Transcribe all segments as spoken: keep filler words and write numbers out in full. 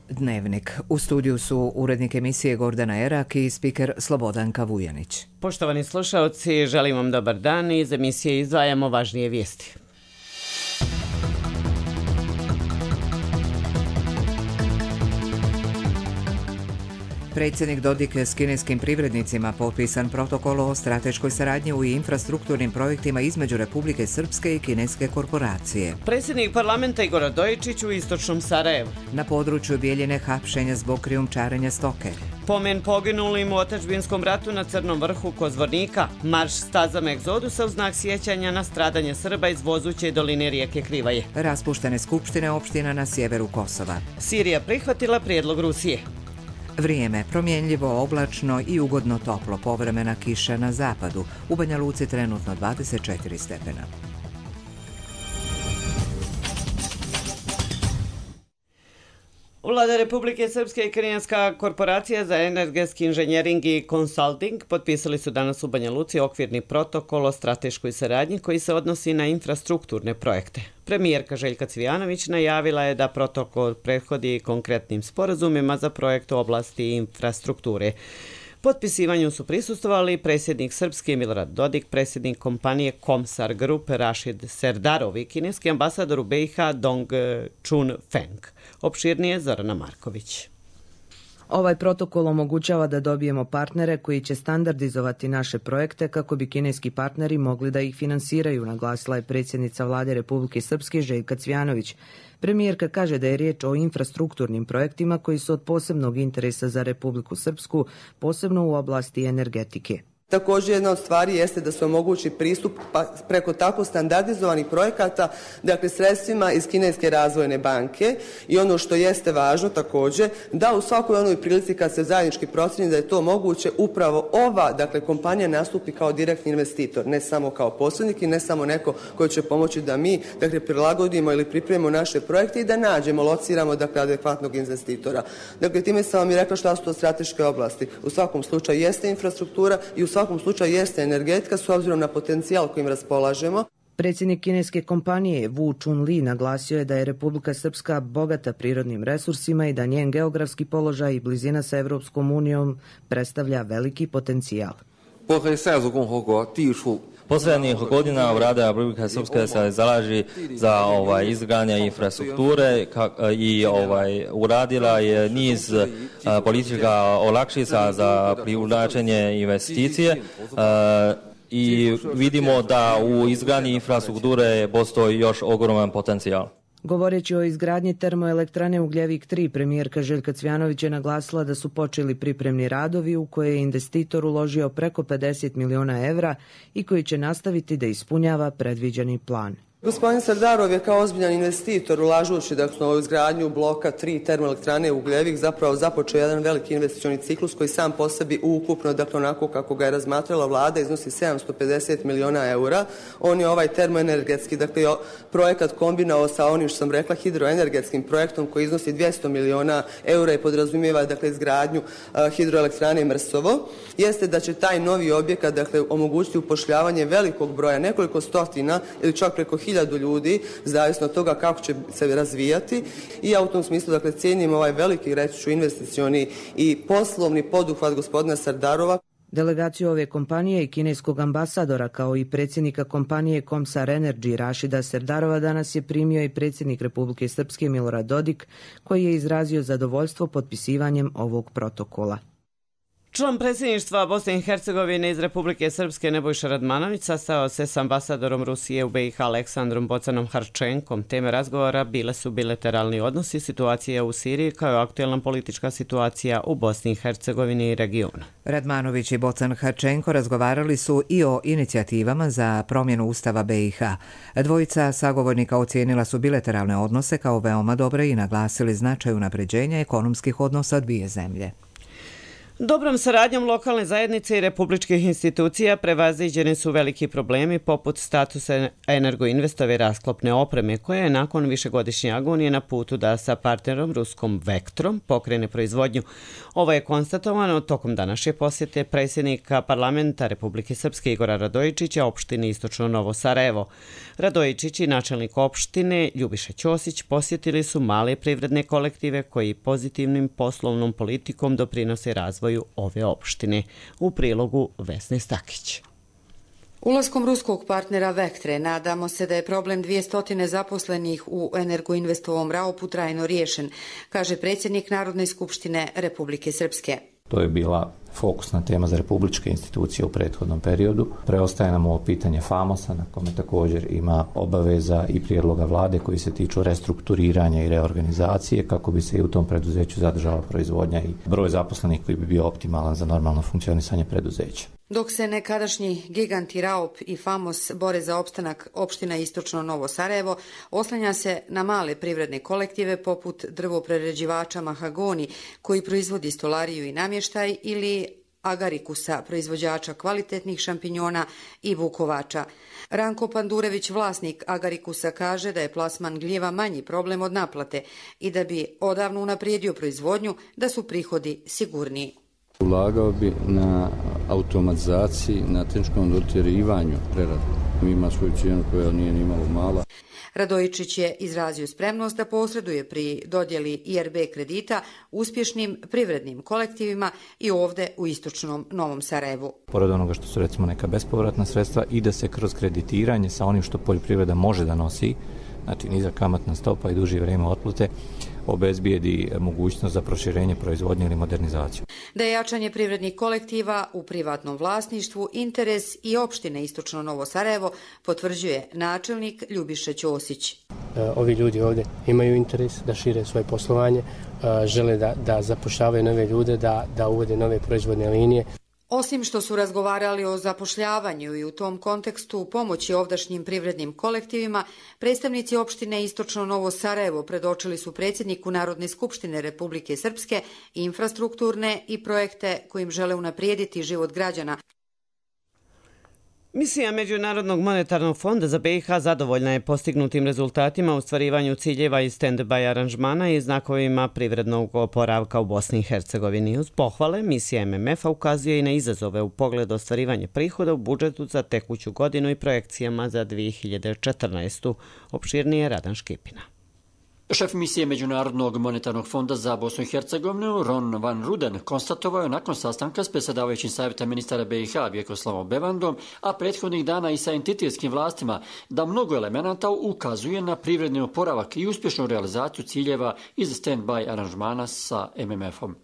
Dnevnik. U studiju su urednik emisije Gordana Erak i spiker Slobodanka Vujanić. Poštovani slušalci, želim vam dobar dan i iz emisije izdvajamo važnije vijesti. Predsjednik Dodik s kineskim privrednicima potpisan protokol o strateškoj saradnji u infrastrukturnim projektima između Republike Srpske i kineske korporacije. Predsjednik parlamenta Igor Radojičić u istočnom Sarajevu. Na području Bijeljine hapšenja zbog krijumčarenja stoke. Pomen poginulim u otadžbinskom ratu na Crnom vrhu kod Zvornika. Marš stazama egzodusa u znak sjećanja na stradanje Srba iz Vozuće doline rijeke Krivaje. Raspuštene skupštine opština na sjeveru Kosova. Sirija prihvatila prijedlog Rusije. Vrijeme promjenljivo, oblačno i ugodno toplo, povremena kiša na zapadu. U Banja Luci trenutno dvadeset četiri stepena. Vlada Republike Srpske i Kineska korporacija za energetski inženjering i konsulting potpisali su danas u Banja Luci okvirni protokol o strateškoj saradnji koji se odnosi na infrastrukturne projekte. Premijerka Željka Cvijanović najavila je da protokol prethodi konkretnim sporazumima za projekt u oblasti infrastrukture. Potpisivanju su prisustvovali predsjednik Srpske Milorad Dodik, predsjednik kompanije Komsar Grupe Rašid Serdarov i kineski ambasador u B i H Dong Chun Feng. Opširnije Zorana Marković. Ovaj protokol omogućava da dobijemo partnere koji će standardizovati naše projekte kako bi kineski partneri mogli da ih finansiraju, naglasila je predsjednica Vlade Republike Srpske Željka Cvijanović. Premijerka kaže da je riječ o infrastrukturnim projektima koji su od posebnog interesa za Republiku Srpsku, posebno u oblasti energetike. Također jedna od stvari jeste da se omogući pristup pa preko tako standardizovanih projekata, dakle sredstvima iz Kineske razvojne banke i ono što jeste važno također da u svakoj onoj prilici kad se zajednički procjeni da je to moguće upravo ova dakle kompanija nastupi kao direktni investitor, ne samo kao posrednik i ne samo neko koji će pomoći da mi dakle prilagodimo ili pripremimo naše projekte i da nađemo, lociramo dakle adekvatnog investitora. Dakle time sam vam i rekla šta su to strateške oblasti. U svakom slučaju jeste infrastruktura i u svakom slučaju jeste energetika s obzirom na potencijal kojim raspolažemo. Predsjednik kineske kompanije Wu Chunli naglasio je da je Republika Srpska bogata prirodnim resursima i da njen geografski položaj i blizina sa Evropskom unijom predstavlja veliki potencijal. Posljednjih godina Vlada Republike Srpske se zalaži za ovaj, izgradnje infrastrukture kak, i ovaj, uradila je niz uh, politička olakšica za privlačenje investicije uh, i vidimo da u izgradnji infrastrukture postoji još ogroman potencijal. Govoreći o izgradnji termoelektrane Ugljevik tri, premijerka Željka Cvijanović je naglasila da su počeli pripremni radovi u koje je investitor uložio preko pedeset miliona evra i koji će nastaviti da ispunjava predviđeni plan. Gospodin Serdarov je kao ozbiljan investitor ulažući dakle, u izgradnju bloka tri termoelektrane Ugljevik zapravo započeo jedan veliki investicioni ciklus koji sam po sebi ukupno, dakle onako kako ga je razmatrala vlada, iznosi sedamsto pedeset miliona eura. On je ovaj termoenergetski dakle, projekat kombinao sa onim što sam rekla hidroenergetskim projektom koji iznosi dvjesto miliona eura i podrazumijeva dakle, izgradnju uh, hidroelektrane Mrsovo. Jeste da će taj novi objekat dakle, omogućiti upošljavanje velikog broja, nekoliko stotina ili čak preko hiljadu ljudi, zavisno od toga kako će se razvijati i ja u tom smislu dakle cijenim ovaj veliki reći ću investicioni i poslovni poduhvat gospodina Serdarova. Delegaciju ove kompanije i kineskog ambasadora kao i predsjednika kompanije Komsar Energy Rašida Serdarova danas je primio i predsjednik Republike Srpske Milorad Dodik koji je izrazio zadovoljstvo potpisivanjem ovog protokola. Član predsjedništva Bosne i Hercegovine iz Republike Srpske Nebojša Radmanović sastao se s ambasadorom Rusije u B i H Aleksandrom Bocanom Harčenkom. Teme razgovora bile su bilateralni odnosi, situacija u Siriji kao i aktualna politička situacija u Bosni i Hercegovini i regionu. Radmanović i Bocan Harčenko razgovarali su i o inicijativama za promjenu Ustava B i H. Dvojica sagovornika ocijenila su bilateralne odnose kao veoma dobre i naglasili značaj unapređenja ekonomskih odnosa dvije zemlje. Dobrom saradnjom lokalne zajednice i republičkih institucija prevaziđeni su veliki problemi poput statusa energoinvestove rasklopne opreme koja je nakon višegodišnje agonije na putu da sa partnerom ruskom Vektrom pokrene proizvodnju. Ovo je konstatovano tokom današnje posjete predsjednika parlamenta Republike Srpske Igora Radojičića opštini Istočno Novo Sarajevo. Radojičić i načelnik opštine Ljubiša Ćosić posjetili su male privredne kolektive koji pozitivnim poslovnom politikom doprinose razvoju ove opštine. U prilogu Vesne Stakić. Ulaskom ruskog partnera Vektre nadamo se da je problem dvjesto zaposlenih u Energoinvestovom Raupu trajno riješen, kaže predsjednik Narodne skupštine Republike Srpske. To je bila fokusna tema za republičke institucije u prethodnom periodu. Preostaje nam ovo pitanje Famosa, na kome također ima obaveza i prijedloga vlade koji se tiču restrukturiranja i reorganizacije kako bi se i u tom preduzeću zadržala proizvodnja i broj zaposlenih koji bi bio optimalan za normalno funkcionisanje preduzeća. Dok se nekadašnji giganti Raup i Famos bore za opstanak opština Istočno Novo Sarajevo, oslanja se na male privredne kolektive poput drvoprerađivača Mahagoni koji proizvodi stolariju i namještaj ili Agarikusa, proizvođača kvalitetnih šampinjona i vukovača. Ranko Pandurević, vlasnik Agarikusa, kaže da je plasman gljeva manji problem od naplate i da bi odavno unaprijedio proizvodnju da su prihodi sigurniji. Ulagao bi na automatizaciji, na tehničkom dotjerivanju prerade. Ima svoju cijenu koja nije ni malo mala. Radojičić je izrazio spremnost da posreduje pri dodjeli I R B kredita uspješnim privrednim kolektivima i ovdje u Istočnom Novom Sarajevu. Pored onoga što su recimo neka bespovratna sredstva i da se kroz kreditiranje sa onim što poljoprivreda može da nosi, znači niza kamatna stopa i duži vrijeme otplate, obezbijedi mogućnost za proširenje proizvodnje ili modernizaciju. Da je jačanje privrednih kolektiva u privatnom vlasništvu interes i opštine Istočno Novo Sarajevo, potvrđuje načelnik Ljubiša Ćosić. Ovi ljudi ovdje imaju interes da šire svoje poslovanje, žele da, da zapošljavaju nove ljude, da, da uvode nove proizvodne linije. Osim što su razgovarali o zapošljavanju i u tom kontekstu pomoći ovdašnjim privrednim kolektivima, predstavnici opštine Istočno Novo Sarajevo predočili su predsjedniku Narodne skupštine Republike Srpske infrastrukturne i projekte kojim žele unaprijediti život građana. Misija Međunarodnog monetarnog fonda za B i H zadovoljna je postignutim rezultatima u ostvarivanju ciljeva i stand-by aranžmana i znakovima privrednog oporavka u Bosni i Hercegovini. Uz pohvale, misija M M F-a ukazuje i na izazove u pogledu ostvarivanja prihoda u budžetu za tekuću godinu i projekcijama za dvije hiljade četrnaestu. Opširnije Radan Škipina. Šef misije Međunarodnog monetarnog fonda za Bosnu i Hercegovinu, Ron Van Ruden, konstatovao je nakon sastanka s predsjedavajućim savjeta ministara B i H Vjekoslavom Bevandom, a prethodnih dana i sa entitetskim vlastima, da mnogo elemenata ukazuje na privredni oporavak i uspješnu realizaciju ciljeva iz stand-by aranžmana sa M M F-om.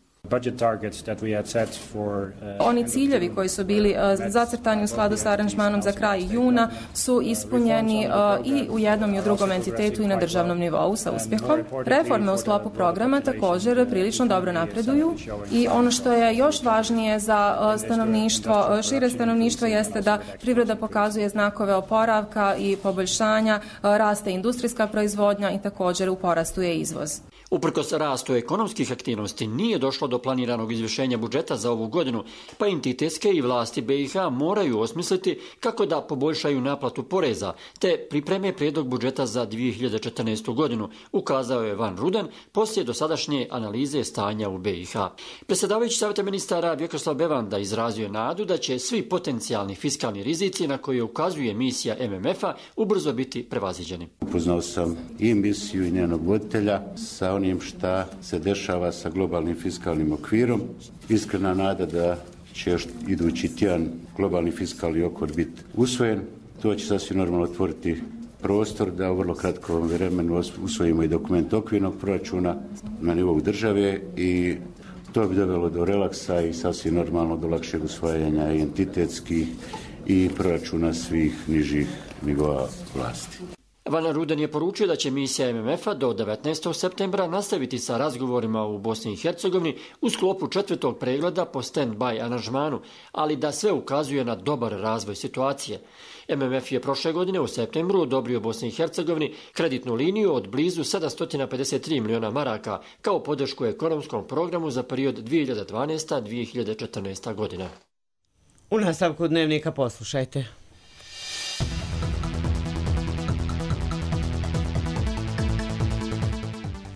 Oni ciljevi koji su bili uh, zacrtani u skladu sa aranžmanom za kraj juna su ispunjeni uh, i u jednom i u drugom entitetu i na državnom nivou sa uspjehom. Reforme u sklopu programa također prilično dobro napreduju i ono što je još važnije za uh, stanovništvo, uh, šire stanovništvo jeste da privreda pokazuje znakove oporavka i poboljšanja, uh, raste industrijska proizvodnja i također u porastu je izvoz. Uprkos rastu ekonomskih aktivnosti nije došlo do planiranog izvršenja budžeta za ovu godinu, pa entitetske i vlasti B i H moraju osmisliti kako da poboljšaju naplatu poreza, te pripreme prijedlog budžeta za dvije hiljade četrnaestu godinu, ukazao je Van Ruden poslije dosadašnje analize stanja u B i H. Predsjedavajući savjeta ministara Vjekoslav Bevanda izrazio je nadu da će svi potencijalni fiskalni rizici na koje ukazuje misija M M F-a ubrzo biti prevaziđeni. Upoznao sam i misiju i njenog voditelja sa onim šta se dešava sa globalnim fiskalnim okvirom. Iskrena nada da će još idući tjedan globalni fiskalni okvir biti usvojen. To će sasvim normalno otvoriti prostor da u vrlo kratkom vremenu usvojimo i dokument okvirnog proračuna na nivou države i to bi dovelo do relaksa i sasvim normalno do lakšeg usvajanja i entitetskih i proračuna svih nižih nivoa vlasti. Van Ruden je poručio da će misija M M F-a do devetnaestog septembra nastaviti sa razgovorima u Bosni i Hercegovini u sklopu četvrtog pregleda po stand-by aranžmanu, ali da sve ukazuje na dobar razvoj situacije. M M F je prošle godine u septembru odobrio Bosni i Hercegovini kreditnu liniju od blizu sedamsto pedeset tri miliona maraka kao podršku ekonomskom programu za period dvije hiljade dvanaesta do dvije hiljade četrnaeste. godina. U nastavku dnevnika poslušajte.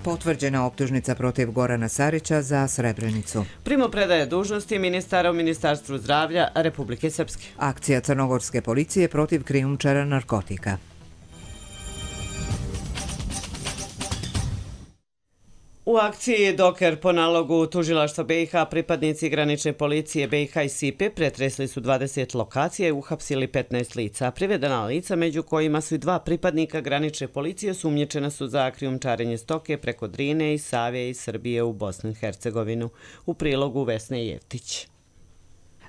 Potvrđena optužnica protiv Gorana Sarića za Srebrenicu. Primopredaja dužnosti ministara u Ministarstvu zdravlja Republike Srpske. Akcija crnogorske policije protiv krijumčara narkotika. U akciji Doker po nalogu tužilaštva B i H pripadnici granične policije B i H i Sipe pretresli su dvadeset lokacija i uhapsili petnaest lica. Privedena lica, među kojima su i dva pripadnika granične policije, osumnjičena su za krijumčarenje stoke preko Drine i Save i Srbije u Bosnu i Hercegovinu. U prilogu Vesne Jevtić.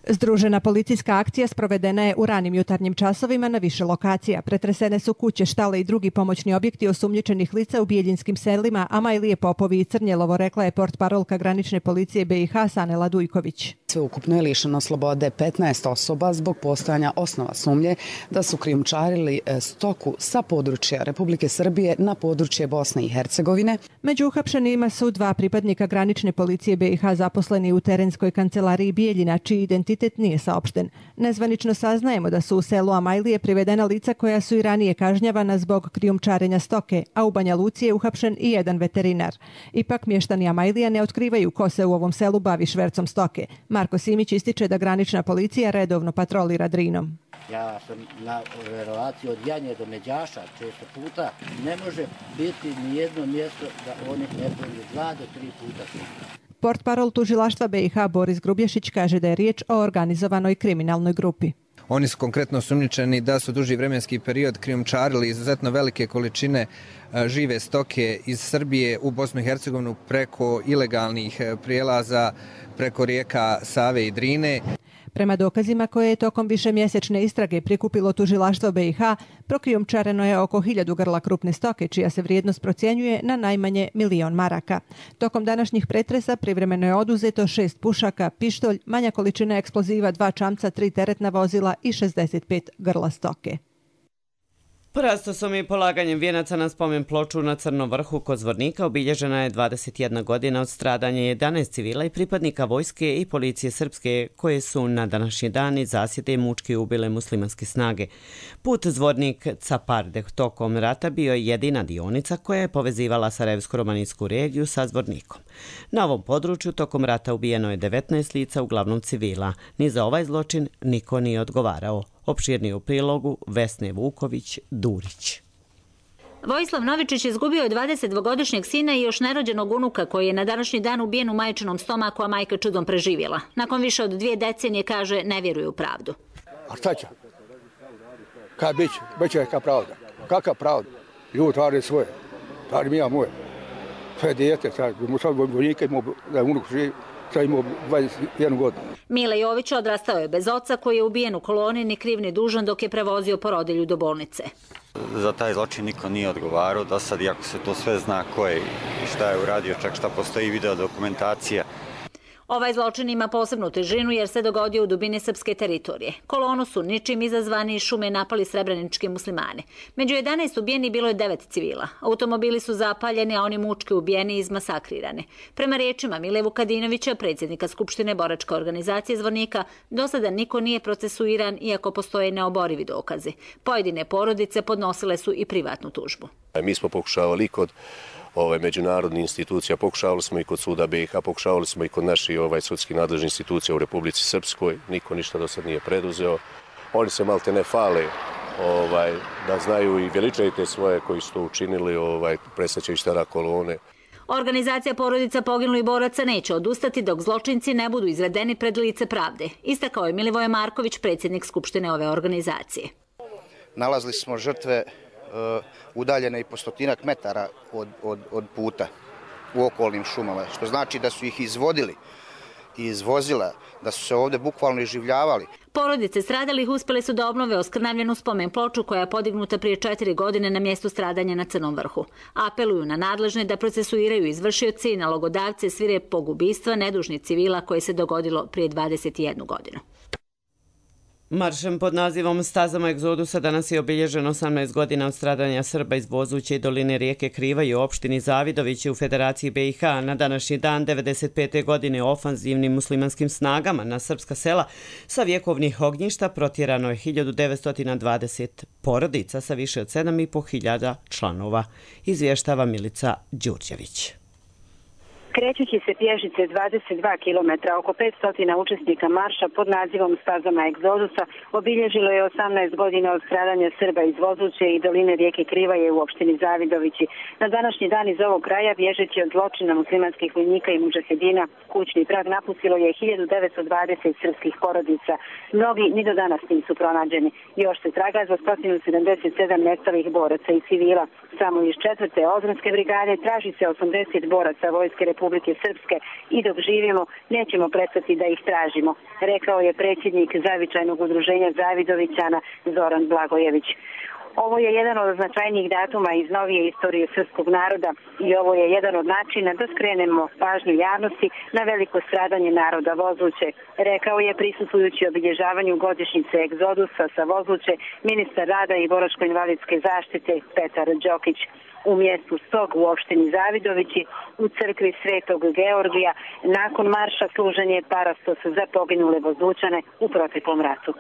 Združena policijska akcija sprovedena je u ranim jutarnjim časovima na više lokacija. Pretresene su kuće, štale i drugi pomoćni objekti osumnjičenih lica u Bijeljinskim selima, a Majlije Popovi i Crnjelovo, rekla je portparolka granične policije B i H Sanela Dujković. Sveukupno je lišeno slobode petnaest osoba zbog postojanja osnova sumnje da su krijumčarili stoku sa područja Republike Srbije na područje Bosne i Hercegovine. Među uhapšenima su dva pripadnika granične policije B i H zaposleni u terenskoj kancelariji Bijeljina, čiji identitet nije saopšten. Nezvanično saznajemo da su u selu Amajlije privedena lica koja su i ranije kažnjavana zbog krijumčarenja stoke, a u Banja Luci je uhapšen i jedan veterinar. Ipak mještani Amajlija ne otkrivaju ko se u ovom selu bavi švercom stoke. Marko Simić ističe da granična policija redovno patrolira Drinom. Ja sam na relaciji od Janje do Međaša često puta. Ne može biti ni jedno mjesto da oni ne prođu dva do tri puta. Portparol tužilaštva B i H Boris Grubješić kaže da je riječ o organizovanoj kriminalnoj grupi. Oni su konkretno osumnjičeni da su duži vremenski period krijumčarili izuzetno velike količine žive stoke iz Srbije u Bosnu i Hercegovinu preko ilegalnih prijelaza, preko rijeka Save i Drine. Prema dokazima koje je tokom višemjesečne istrage prikupilo tužilaštvo B i H, prokrijumčareno je oko hiljadu grla krupne stoke, čija se vrijednost procjenjuje na najmanje milion maraka. Tokom današnjih pretresa privremeno je oduzeto šest pušaka, pištolj, manja količina eksploziva, dva čamca, tri teretna vozila i šezdeset pet grla stoke. Prastosom i polaganjem vijenaca na spomen ploču na Crnom vrhu kod Zvornika obilježena je dvadeset jedna godina od stradanja jedanaest civila i pripadnika vojske i policije srpske koje su na današnji dan iz zasjede i mučki ubile muslimanske snage. Put Zvornik-Caparde tokom rata bio je jedina dionica koja je povezivala Sarajevsko-romanijsku regiju sa Zvornikom. Na ovom području tokom rata ubijeno je devetnaest lica, uglavnom civila. Ni za ovaj zločin niko nije odgovarao. Opširnije u prilogu Vesne Vuković-Durić. Vojislav Novičić izgubio je dvadesetdvogodišnjeg sina i još nerođenog unuka koji je na današnji dan ubijen u majčinom stomaku, a majka čudom preživjela. Nakon više od dvije decenije, kaže, ne vjeruje u pravdu. A šta će? Kaj bit će? Biće neka pravda. Kakva pravda? Ljudi rade svoje. Radi mi ja moje. To je dijete. Vojnika imao da je unuk živi. Imao dvadeset jednu godinu. Mile Jović odrastao je bez oca koji je ubijen u koloni, ni kriv ni dužan dok je prevozio porodilju do bolnice. Za taj zločin niko nije odgovarao. Do sad, iako se to sve zna ko je i šta je uradio, čak šta postoji video dokumentacija. Ovaj zločin ima posebnu težinu jer se dogodio u dubini srpske teritorije. Kolonu su ničim izazvani iz šume napali srebrenički muslimani. Među jedanaest ubijeni bilo je devet civila. Automobili su zapaljeni, a oni mučki ubijeni i izmasakrirani. Prema riječima Mile Vukadinovića, predsjednika Skupštine boračke organizacije Zvornika, do sada niko nije procesuiran iako postoje neoborivi dokazi. Pojedine porodice podnosile su i privatnu tužbu. Mi smo pokušavali kod Ove, međunarodnih institucija, pokušavali smo i kod suda B i H, pokušavali smo i kod naših ovaj, sudskih nadležnih institucija u Republici Srpskoj, niko ništa do sad nije preduzeo. Oni se malte ne fale ovaj, da znaju i veličaju te svoje koji su to učinili, ovaj, presjećaju stara kolone. Organizacija porodica poginulih boraca neće odustati dok zločinci ne budu izvedeni pred lice pravde, istakao je Milivoje Marković, predsjednik Skupštine ove organizacije. Nalazili smo žrtve udaljene i po stotinak metara od, od, od puta u okolnim šumama, što znači da su ih izvodili izvozila, da su se ovdje bukvalno iživljavali. Porodice stradalih uspjele su da obnove oskrnavljenu spomen ploču koja je podignuta prije četiri godine na mjestu stradanja na Crnom vrhu. Apeluju na nadležne da procesuiraju izvršioce i nalogodavce svirepog ubistva nedužnih civila koje se dogodilo prije dvadeset jednu godinu. Maršem pod nazivom Stazama egzodusa danas je obilježeno osamnaest godina od stradanja Srba iz Vozuće i doline rijeke Krivaje u opštini Zavidović u Federaciji B i H. Na današnji dan devedeset pete godine ofanzivnim muslimanskim snagama na srpska sela sa vjekovnih ognjišta protjerano je hiljadu devetsto dvadeset porodica sa više od sedam i po hiljada članova, izvještava Milica Đurđević. Krećući se pješice dvadeset dva kilometra, oko petsto učesnika marša pod nazivom Stazama egzodusa obilježilo je osamnaest godina od stradanja Srba iz Vozuće i doline rijeke Krivaje u opštini Zavidovići. Na današnji dan iz ovog kraja, bježeći od zločina muslimanskih vojnika i mudžahedina, kućni prag napustilo je hiljadu devetsto dvadeset srpskih porodica. Mnogi ni do danas nisu pronađeni. Još se traga za sto sedamdeset sedam nestalih boraca i civila. Samo iz četvrte Odranske brigade traži se osamdeset boraca Vojske Republike Srpske i dok živimo nećemo prestati da ih tražimo, rekao je predsjednik Zavičajnog udruženja Zavidovićana Zoran Blagojević. Ovo je jedan od značajnijih datuma iz novije istorije srpskog naroda i ovo je jedan od načina da skrenemo pažnju javnosti na veliko stradanje naroda Vozuće, rekao je prisustvujući obilježavanju godišnjice egzodusa sa Vozuće ministar rada i boračko-invalidske zaštite Petar Đokić. U mjestu Stog u opštini Zavidovići u crkvi Svetog Georgija nakon marša služen je parastos za poginule Vozućane u proteklom ratu.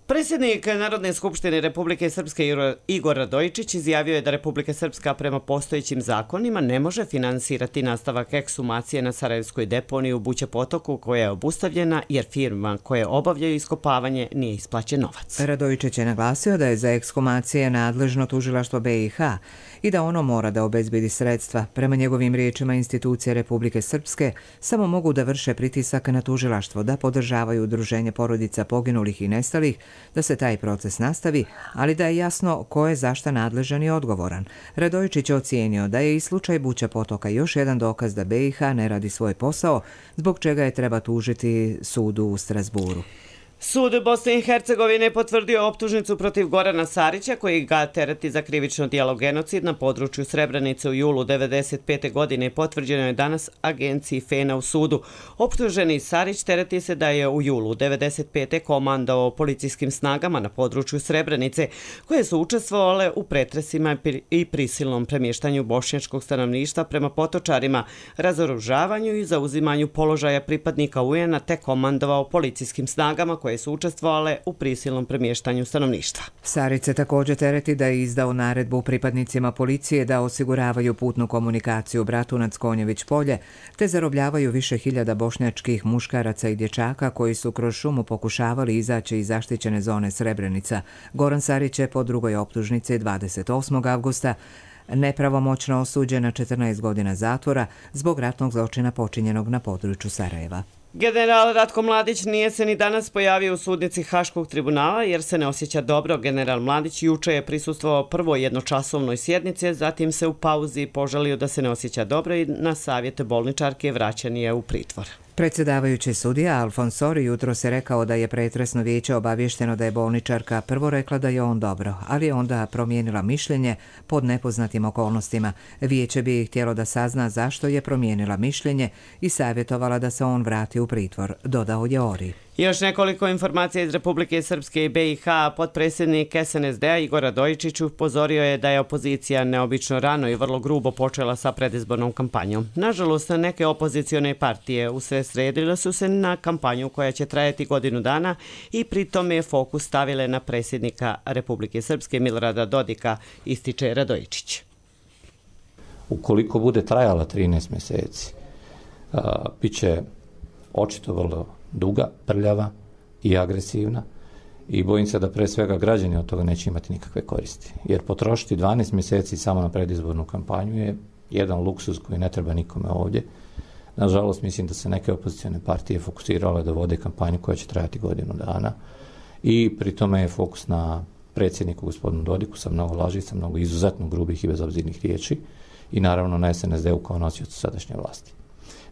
Predsjednik Narodne skupštine Republike Srpske Igor Radojičić izjavio je da Republika Srpska prema postojećim zakonima ne može finansirati nastavak ekshumacije na Sarajevskoj deponiji u Buće potoku koja je obustavljena jer firma koje obavljaju iskopavanje nije isplaćen novac. Radojičić je naglasio da je za ekshumacije nadležno tužilaštvo B i H i da ono mora da obezbedi sredstva. Prema njegovim riječima institucije Republike Srpske samo mogu da vrše pritisak na tužilaštvo, da podržavaju udruženje porodica poginulih i nestalih, da se taj proces nastavi, ali da je jasno ko je zašta nadležan i odgovoran. Radojičić je ocijenio da je i slučaj Buća potoka još jedan dokaz da B i H ne radi svoj posao, zbog čega je treba tužiti sudu u Strasburu. Sud Bosne i Hercegovine potvrdio optužnicu protiv Gorana Sarića koji ga tereti za krivično djelo genocid na području Srebrenice u julu devedeset pete godine. Potvrđeno je danas agenciji FENA u sudu. Optuženi Sarić tereti se da je u julu devedeset pete komandovao policijskim snagama na području Srebrenice koje su učestvovale u pretresima i prisilnom premještanju bošnjačkog stanovništva prema potočarima, razoružavanju i zauzimanju položaja pripadnika U N A te komandovao policijskim snagama koje su učestvovale u prisilnom premještanju stanovništva. Sarić se također tereti da je izdao naredbu pripadnicima policije da osiguravaju putnu komunikaciju Bratunac-Konjević polje, te zarobljavaju više hiljada bošnjačkih muškaraca i dječaka koji su kroz šumu pokušavali izaći iz zaštićene zone Srebrenica. Goran Sarić je po drugoj optužnici dvadeset osmog avgusta nepravomoćno osuđen na četrnaest godina zatvora zbog ratnog zločina počinjenog na području Sarajeva. General Ratko Mladić nije se ni danas pojavio u sudnici Haškog tribunala jer se ne osjeća dobro. General Mladić juče je prisustvovao prvoj jednočasovnoj sjednici, zatim se u pauzi požalio da se ne osjeća dobro i na savjet bolničarke vraćan je u pritvor. Predsjedavajući sudija Alfonsori jutro se rekao da je pretresno vijeće obavješteno da je bolničarka prvo rekla da je on dobro, ali je onda promijenila mišljenje pod nepoznatim okolnostima. Vijeće bi htjelo da sazna zašto je promijenila mišljenje i savjetovala da se on vrati u pritvor, dodao je Ori. Još nekoliko informacija iz Republike Srpske i B i H. Potpredsjednik S N S D-a Igor Radojičić upozorio je da je opozicija neobično rano i vrlo grubo počela sa predizbornom kampanjom. Nažalost, neke opozicione partije usredsredile su se na kampanju koja će trajati godinu dana i pri tome je fokus stavile na predsjednika Republike Srpske Milorada Dodika, ističe Radojičić. Ukoliko bude trajala trinaest mjeseci, bit će očito vrlo duga, prljava i agresivna i bojim se da pre svega građani od toga neće imati nikakve koristi. Jer potrošiti dvanaest mjeseci samo na predizbornu kampanju je jedan luksuz koji ne treba nikome ovdje. Nažalost, mislim da se neke opozicione partije fokusirale da vode kampanju koja će trajati godinu dana i pri tome je fokus na predsjedniku gospodinu Dodiku sa mnogo laži, sa mnogo izuzetno grubih i bezobzirnih riječi i naravno na S N S D-u kao nosiocu sadašnje vlasti.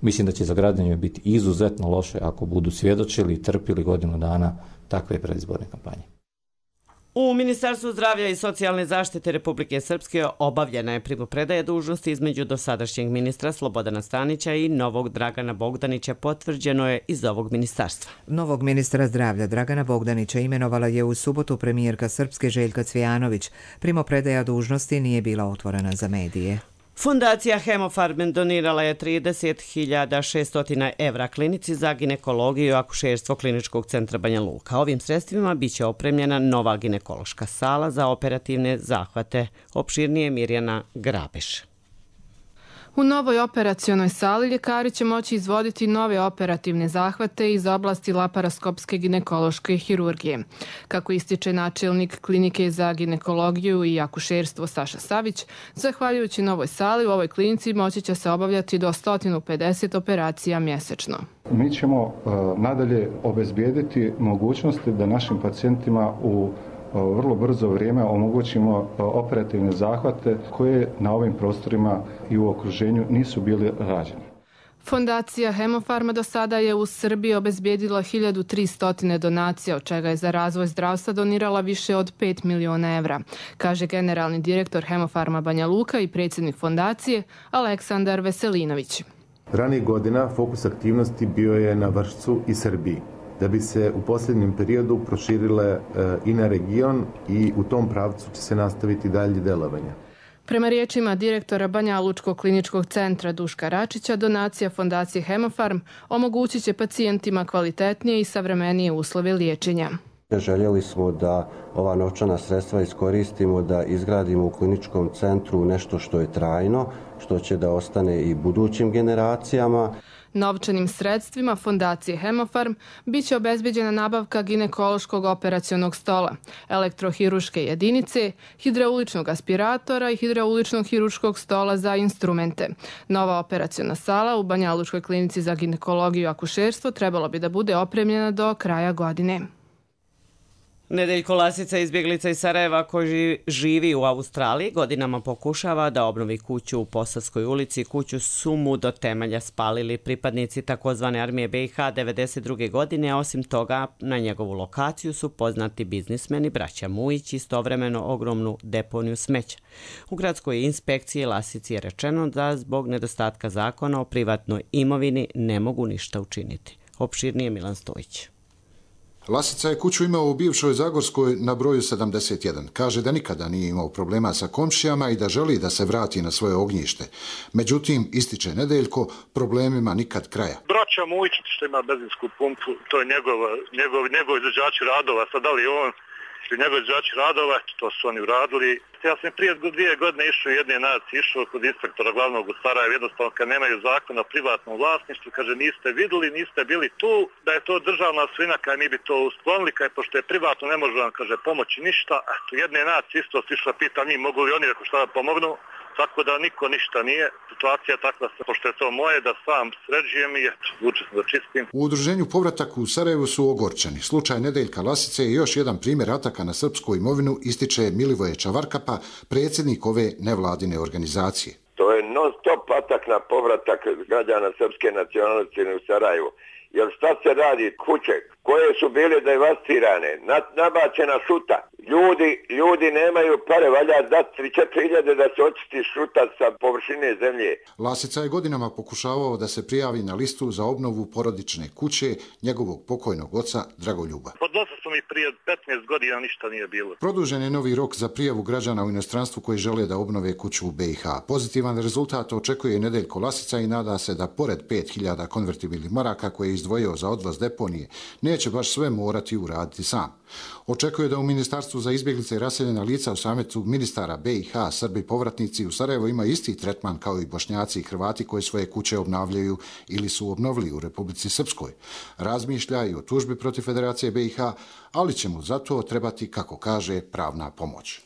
Mislim da će za građane biti izuzetno loše ako budu svjedočili i trpili godinu dana takve predizborne kampanje. U Ministarstvu zdravlja i socijalne zaštite Republike Srpske obavljena je primopredaja dužnosti između dosadašnjeg ministra Slobodana Stanića i novog Dragana Bogdanića, potvrđeno je iz ovog ministarstva. Novog ministra zdravlja Dragana Bogdanića imenovala je u subotu premijerka Srpske Željka Cvijanović. Primopredaja dužnosti nije bila otvorena za medije. Fundacija Hemofarm donirala je trideset hiljada šesto evra klinici za ginekologiju i akušerstvo Kliničkog centra Banja Luka. Ovim sredstvima biće opremljena nova ginekološka sala za operativne zahvate. Opširnije Mirjana Grabeš. U novoj operacionoj sali ljekari će moći izvoditi nove operativne zahvate iz oblasti laparoskopske ginekološke hirurgije. Kako ističe načelnik klinike za ginekologiju i akušerstvo Saša Savić, zahvaljujući novoj sali u ovoj klinici moći će se obavljati do sto pedeset operacija mjesečno. Mi ćemo uh, nadalje obezbijediti mogućnosti da našim pacijentima u vrlo brzo vrijeme omogućimo operativne zahvate koje na ovim prostorima i u okruženju nisu bili rađeni. Fondacija Hemofarma do sada je u Srbiji obezbijedila hiljadu tristo donacija, od čega je za razvoj zdravstva donirala više od pet miliona evra, kaže generalni direktor Hemofarma Banja Luka i predsjednik fondacije Aleksandar Veselinović. Ranijih godina fokus aktivnosti bio je na Vršcu i Srbiji, da bi se u posljednjem periodu proširile e, i na region i u tom pravcu će se nastaviti dalje delovanje. Prema riječima direktora Banja Lučkog kliničkog centra Duška Račića, donacija fondacije Hemofarm omogućit će pacijentima kvalitetnije i savremenije uslove liječenja. Željeli smo da ova novčana sredstva iskoristimo da izgradimo u kliničkom centru nešto što je trajno, što će da ostane i budućim generacijama. Novčanim sredstvima fondacije Hemofarm bit će obezbeđena nabavka ginekološkog operacionog stola, elektrohiruške jedinice, hidrauličnog aspiratora i hidrauličnog hiruškog stola za instrumente. Nova operaciona sala u Banja Lučkoj klinici za ginekologiju i akušerstvo trebalo bi da bude opremljena do kraja godine. Nedeljko Lasica, izbjeglica iz Sarajeva koji živi u Australiji, godinama pokušava da obnovi kuću u Posavskoj ulici. Kuću su mu do temelja spalili pripadnici takozvane armije B i H devedeset druge godine, a osim toga na njegovu lokaciju su poznati biznismeni braća Mujić, istovremeno ogromnu deponiju smeća. U gradskoj inspekciji Lasici je rečeno da zbog nedostatka zakona o privatnoj imovini ne mogu ništa učiniti. Opširnije Milan Stojić. Lasica je kuću imao u bivšoj Zagorskoj na broju sedamdeset jedan. Kaže da nikada nije imao problema sa komšijama i da želi da se vrati na svoje ognjište. Međutim, ističe Nedeljko, problemima nikad kraja. Braća Mujić što ima benzinsku pumpu, to je njegov, njegov, njegov izvođači radova. Sad da li on ili njegov izvođači radova, to su oni uradili. Ja sam prije dvije godine išao u jedne naci, išao kod inspektora glavnog u Sarajevu, jednostavno kad nemaju zakona o privatnom vlasništvu, kaže niste vidjeli, niste bili tu, da je to državna svina, kad mi bi to usklonili, kad pošto je privatno ne može vam, kaže, pomoći ništa. Eto, jedne naci isto sišla, pita njih mogu li oni ako šta da pomognu, tako da niko ništa nije. Situacija je takva, pošto je to moje, da sam sređujem i eto, vuče sam da čistim. U udruženju Povratak u Sarajevu su ogorčeni. Slučaj Nedeljka Lasice je još jedan primjer ataka na srpsku imovinu, ističe Milivoje Čavarkapa, predsjednik ove nevladine organizacije. To je non stop atak na povratak građana srpske nacionalnosti u Sarajevu. Jer šta se radi? Kuće koje su bile devastirane, nabačena šuta. Ljudi, ljudi nemaju pare, valja dati tri do četiri hiljade da se očisti šuta sa površine zemlje. Lasica je godinama pokušavao da se prijavi na listu za obnovu porodične kuće njegovog pokojnog oca Dragoljuba. Podnosio sam i prije petnaest godina, ništa nije bilo. Produžen je novi rok za prijavu građana u inostranstvu koji žele da obnove kuću u B i H. Pozitivan rezultat očekuje Nedeljko Lasica i nada se da pored pet hiljada konvertibilnih maraka koje je izdvojio za odvoz deponije, neće baš sve morati uraditi sam. Očekuje da u Ministarstvu za izbjeglice i raseljena lica u sametu ministara B i H Srbi povratnici u Sarajevo ima isti tretman kao i Bošnjaci i Hrvati koji svoje kuće obnavljaju ili su obnovili u Republici Srpskoj. Razmišlja i o tužbi protiv Federacije B i H, ali će mu zato trebati, kako kaže, pravna pomoć.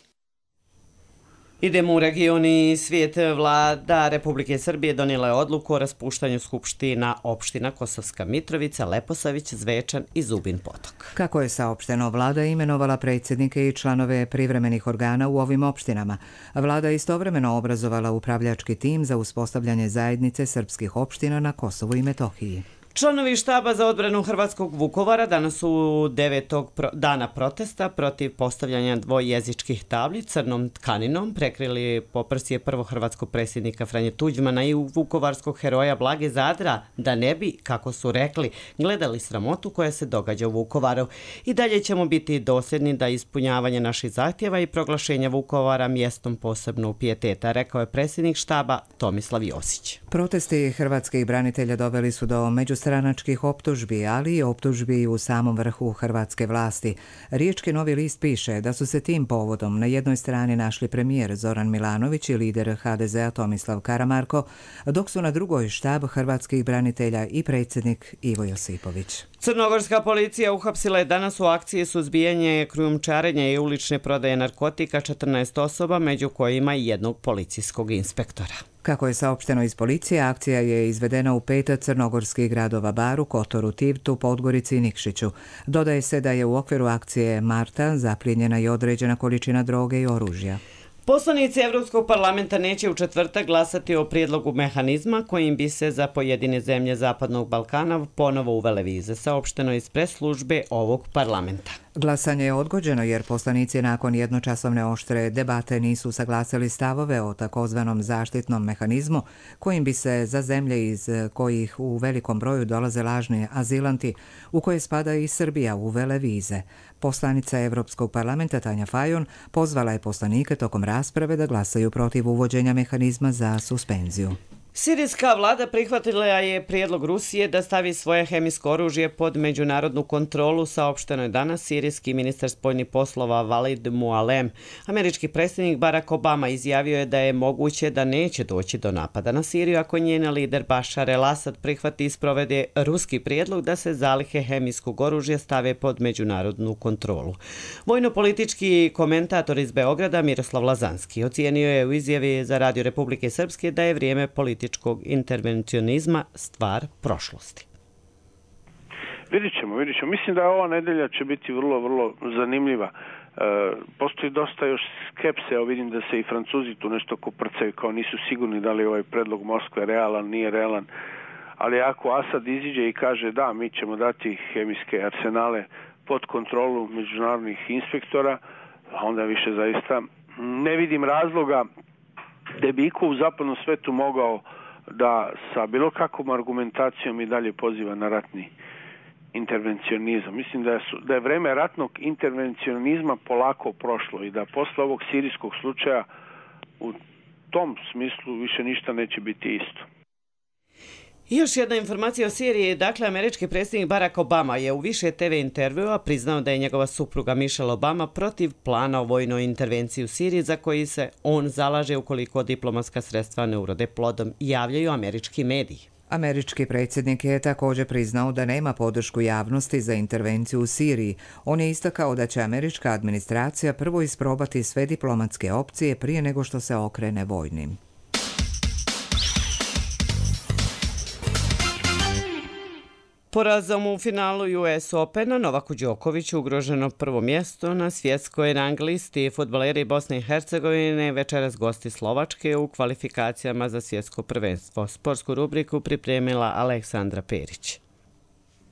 Idemo u region i svijet. Vlada Republike Srbije donijela je odluku o raspuštanju skupština opština Kosovska Mitrovica, Leposavić, Zvečan i Zubin Potok. Kako je saopšteno, vlada imenovala predsjednike i članove privremenih organa u ovim opštinama. Vlada je istovremeno obrazovala upravljački tim za uspostavljanje zajednice srpskih opština na Kosovu i Metohiji. Članovi štaba za odbranu Hrvatskog Vukovara danas su devetog dana protesta protiv postavljanja dvojezičkih tabli crnom tkaninom prekrili poprsje prvog hrvatskog predsjednika Franje Tuđmana i vukovarskog heroja Blage Zadra, da ne bi, kako su rekli, gledali sramotu koja se događa u Vukovaru. I dalje ćemo biti dosljedni da ispunjavanje naših zahtjeva i proglašenja Vukovara mjestom posebnog pijeteta, rekao je predsjednik štaba Tomislav Josić. Protesti hrvatskih branitelja doveli su do međustranačkih optužbi, ali i optužbi u samom vrhu hrvatske vlasti. Riječki Novi list piše da su se tim povodom na jednoj strani našli premijer Zoran Milanović i lider ha de zea Tomislav Karamarko, dok su na drugoj štab hrvatskih branitelja i predsjednik Ivo Josipović. Crnogorska policija uhapsila je danas u akciji suzbijanje krijumčarenja i ulične prodaje narkotika četrnaest osoba, među kojima i jednog policijskog inspektora. Kako je saopšteno iz policije, akcija je izvedena u pet crnogorskih gradova: Baru, Kotoru, Tivtu, Podgorici i Nikšiću. Dodaje se da je u okviru akcije Marta zaplijenjena i određena količina droge i oružja. Poslanici Evropskog parlamenta neće u četvrtak glasati o prijedlogu mehanizma kojim bi se za pojedine zemlje Zapadnog Balkana ponovo uvele vize, saopšteno iz pres službe ovog parlamenta. Glasanje je odgođeno jer poslanici nakon jednočasovne oštre debate nisu saglasili stavove o takozvanom zaštitnom mehanizmu kojim bi se za zemlje iz kojih u velikom broju dolaze lažni azilanti, u koje spada i Srbija, uvele vize. Poslanica Evropskog parlamenta Tanja Fajon pozvala je poslanike tokom rasprave da glasaju protiv uvođenja mehanizma za suspenziju. Sirijska vlada prihvatila je prijedlog Rusije da stavi svoje hemijsko oružje pod međunarodnu kontrolu, saopšteno je danas sirijski ministar spoljnih poslova Walid Mualem. Američki predsjednik Barack Obama izjavio je da je moguće da neće doći do napada na Siriju ako njen lider Bashar el-Assad prihvati i sprovede ruski prijedlog da se zalihe hemijskog oružja stave pod međunarodnu kontrolu. Vojno-politički komentator iz Beograda Miroslav Lazanski ocijenio je u izjavi za Radio Republike Srpske da je vrijeme političkog intervencionizma stvar prošlosti. Vidjet ćemo, vidjet ćemo. Mislim da ova nedelja će biti vrlo, vrlo zanimljiva. E, postoji dosta još skepse, evo vidim da se i Francuzi tu nešto koprcaju, kao nisu sigurni da li ovaj predlog Moskve realan, nije realan. Ali ako Asad iziđe i kaže da, mi ćemo dati hemijske arsenale pod kontrolu međunarodnih inspektora, onda više zaista ne vidim razloga da bi iko u zapadnom svetu mogao da sa bilo kakvom argumentacijom i dalje poziva na ratni intervencionizam. Mislim da je, da je vreme ratnog intervencionizma polako prošlo i da posle ovog sirijskog slučaja u tom smislu više ništa neće biti isto. I još jedna informacija o Siriji. Dakle, američki predsjednik Barack Obama je u više te ve intervjua priznao da je njegova supruga Michelle Obama protiv plana o vojnoj intervenciji u Siriji za koji se on zalaže ukoliko diplomatska sredstva ne urode plodom, javljaju američki mediji. Američki predsjednik je također priznao da nema podršku javnosti za intervenciju u Siriji. On je istakao da će američka administracija prvo isprobati sve diplomatske opcije prije nego što se okrene vojnim. Porazom u finalu U S Opena Novaku Đokoviću ugroženo prvo mjesto na svjetskoj rang listi. Fudbaleri Bosne i Hercegovine večeras gosti Slovačke u kvalifikacijama za svjetsko prvenstvo. Sportsku rubriku pripremila Aleksandra Perić.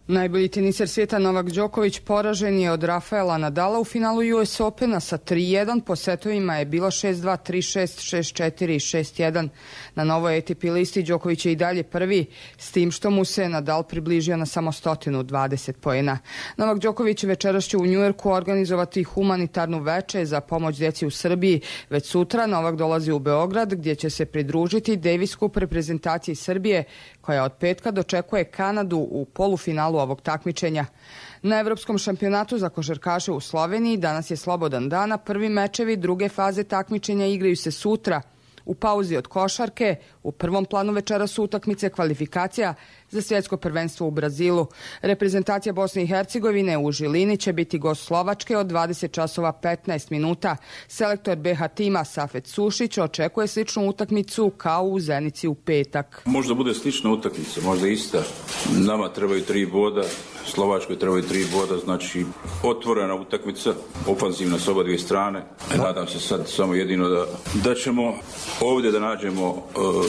Najbolji teniser svijeta Novak Đoković poražen je od Rafaela Nadala u finalu U S Opena sa tri jedan. Po setovima je bilo šest dva, tri šest, šest četiri i šest jedan. Na novoj A T P listi Đoković je i dalje prvi, s tim što mu se Nadal približio na samo sto dvadeset poena. Novak Đoković večeras će u Njujorku organizovati humanitarnu veče za pomoć djeci u Srbiji. Već sutra Novak dolazi u Beograd gdje će se pridružiti Davis Cup reprezentaciji Srbije koja od petka dočekuje Kanadu u polufinalu ovog takmičenja. Na Evropskom šampionatu za košarkaše u Sloveniji danas je slobodan dan, a prvi mečevi druge faze takmičenja igraju se sutra. U pauzi od košarke U prvom planu večera su utakmice kvalifikacija za svjetsko prvenstvo u Brazilu. Reprezentacija Bosne i Hercegovine u Žilini će biti gost Slovačke od dvadeset časova petnaest minuta. Selektor B H tima Safet Sušić očekuje sličnu utakmicu kao u Zenici u petak. Možda bude slična utakmica, možda ista. Nama trebaju tri boda, Slovačkoj trebaju tri boda, znači otvorena utakmica, ofanzivna s oba dvije strane. Nadam se sad samo jedino da, da ćemo ovdje da nađemo uh,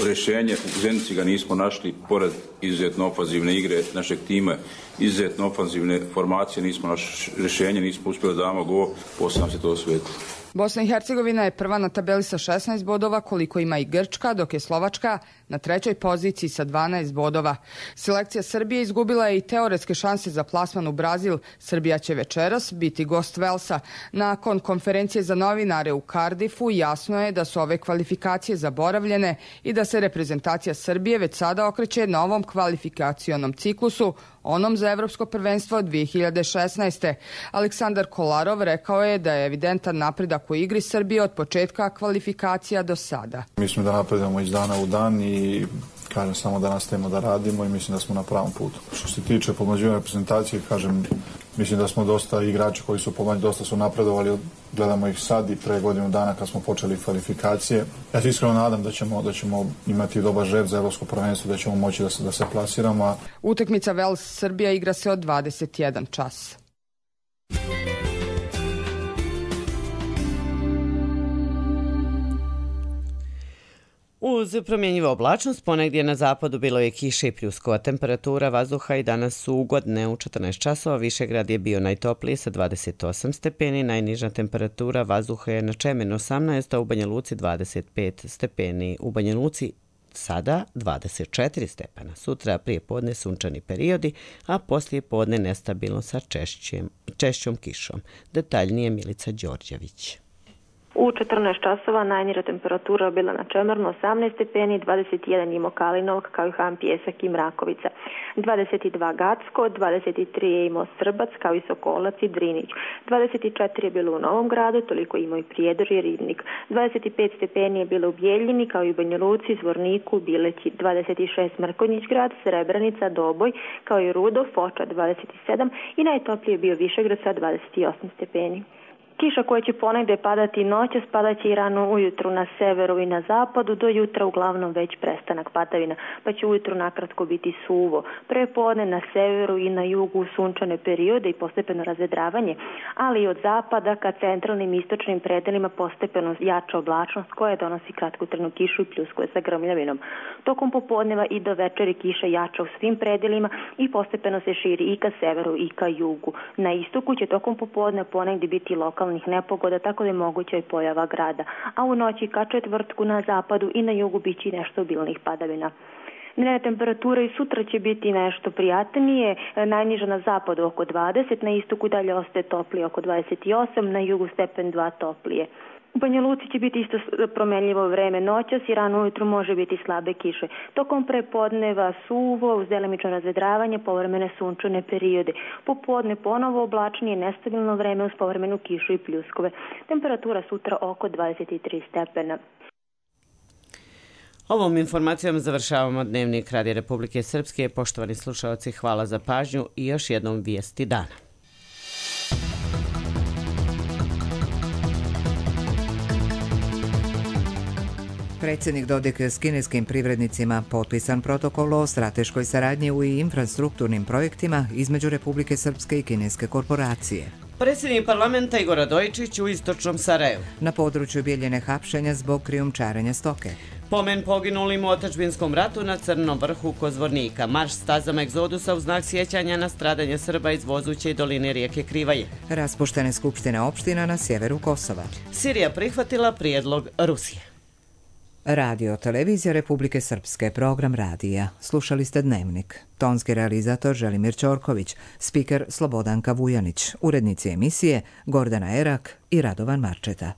rješenje. U Zenici ga nismo našli, pored izuzetno ofanzivne igre našeg tima, izuzetno ofanzivne formacije, nismo našli rješenje, nismo uspjeli da damo gol, posle nam se to osvetilo. Bosna i Hercegovina je prva na tabeli sa šesnaest bodova, koliko ima i Grčka, dok je Slovačka na trećoj poziciji sa dvanaest bodova. Selekcija Srbije izgubila je i teoretske šanse za plasman u Brazil. Srbija će večeras biti gost Velsa. Nakon konferencije za novinare u Cardiffu jasno je da su ove kvalifikacije zaboravljene i da se reprezentacija Srbije već sada okreće novom kvalifikacionom ciklusu, onom za Evropsko prvenstvo dvije hiljade šesnaeste. Aleksandar Kolarov rekao je da je evidentan napredak u igri Srbije od početka kvalifikacija do sada. Mislim da napredujemo iz dana u dan i kažem samo da nastavimo da radimo i mislim da smo na pravom putu. Što se tiče pomlađivanja reprezentacije, kažem, mislim da smo dosta igrači koji su pomlađi, dosta su napredovali, gledamo ih sad i pre godinu dana kad smo počeli kvalifikacije. Ja se iskreno nadam da ćemo, da ćemo imati dobar žreb za Evropsko prvenstvo, da ćemo moći da se, da se plasiramo. Utakmica Vels-Srbija igra se od dvadeset jedan čas. Uz promjenjivu oblačnost, ponegdje na zapadu bilo je kiše i pljuskova. Temperatura vazduha i danas su ugodne. U četrnaest časova Višegrad je bio najtopliji sa dvadeset osam stepeni, najniža temperatura vazduha je na Čemenu osamnaest, a u Banja Luci dvadeset pet stepeni. U Banja Luci sada dvadeset četiri stepena. Sutra prije podne sunčani periodi, a poslije podne nestabilno sa češćem, češćom kišom. Detaljnije Milica Đorđević. U četrnaest časova najniža temperatura bila na Čemernu osamnaest stepeni, dvadeset jedan je imao Kalinovak, kao i Han Pjesak i Mrakovica. dvadeset dva Gacko, dvadeset tri je imao Srbac, kao i Sokolac i Drinić. dvadeset četiri je bilo u Novom Gradu, toliko je imao i Prijedor i Ribnik. dvadeset pet stepeni je bilo u Bijeljini, kao i u Banja Luci, Zvorniku, Bileći. dvadeset šest Mrkonjić Grad, Srebrenica, Doboj, kao i Rudo, Foča dvadeset sedam i najtoplije je bio Višegrad sa dvadeset osam stepeni. Kiša koja će ponegde padati noćas, padaće i rano ujutru na severu i na zapadu, do jutra uglavnom već prestanak padavina, pa će ujutru nakratko biti suvo. Prepodne na severu i na jugu sunčane periode i postepeno razvedravanje, ali i od zapada ka centralnim i istočnim predelima postepeno jača oblačnost koja donosi kratkotrajnu kišu i pljuskove sa grmljavinom. Tokom popodneva i do večeri kiša jača u svim predelima i postepeno se širi i ka severu i ka jugu. Na istoku će tokom popodne ponegde biti lokalni nepogoda, tako da je moguća i pojava grada, a u noći ka četvrtku na zapadu i na jugu biće nešto obilnih padavina. Dnevna temperatura i sutra će biti nešto prijatnije, najniža na zapadu oko dvadeset, na istoku dalje ostaje toplije oko dvadeset osam, na jugu stepen dva toplije. U Banja Luci će biti isto promenljivo vreme noćas i rano ujutru može biti slabe kiše. Tokom prepodneva suvo, uz delimično razvedravanje, povremene sunčane periode. Popodne ponovo oblačnije, nestabilno vreme uz povremenu kišu i pljuskove. Temperatura sutra oko dvadeset tri stepena. Ovom informacijom završavamo Dnevnik Radija Republike Srpske. Poštovani slušalci, hvala za pažnju i još jednom vijesti dana. Predsjednik Dodik s kineskim privrednicima potpisan protokol o strateškoj saradnji u infrastrukturnim projektima između Republike Srpske i kineske korporacije. Predsjednik parlamenta Igor Radojičić u istočnom Sarajevu. Na području Bijeljine hapšenja zbog krijumčarenja stoke. Pomen poginulim u otadžbinskom ratu na Crnom vrhu kod Zvornika. Marš stazama egzodusa u znak sjećanja na stradanje Srba iz Vozuće i doline rijeke Krivaje. Raspuštene skupštine opština na sjeveru Kosova. Sirija prihvatila prijedlog Rusije. Radio Televizija Republike Srpske, program radija. Slušali ste Dnevnik. Tonski realizator Želimir Ćorković, spiker Slobodanka Vujanić, urednici emisije Gordana Erak i Radovan Marčeta.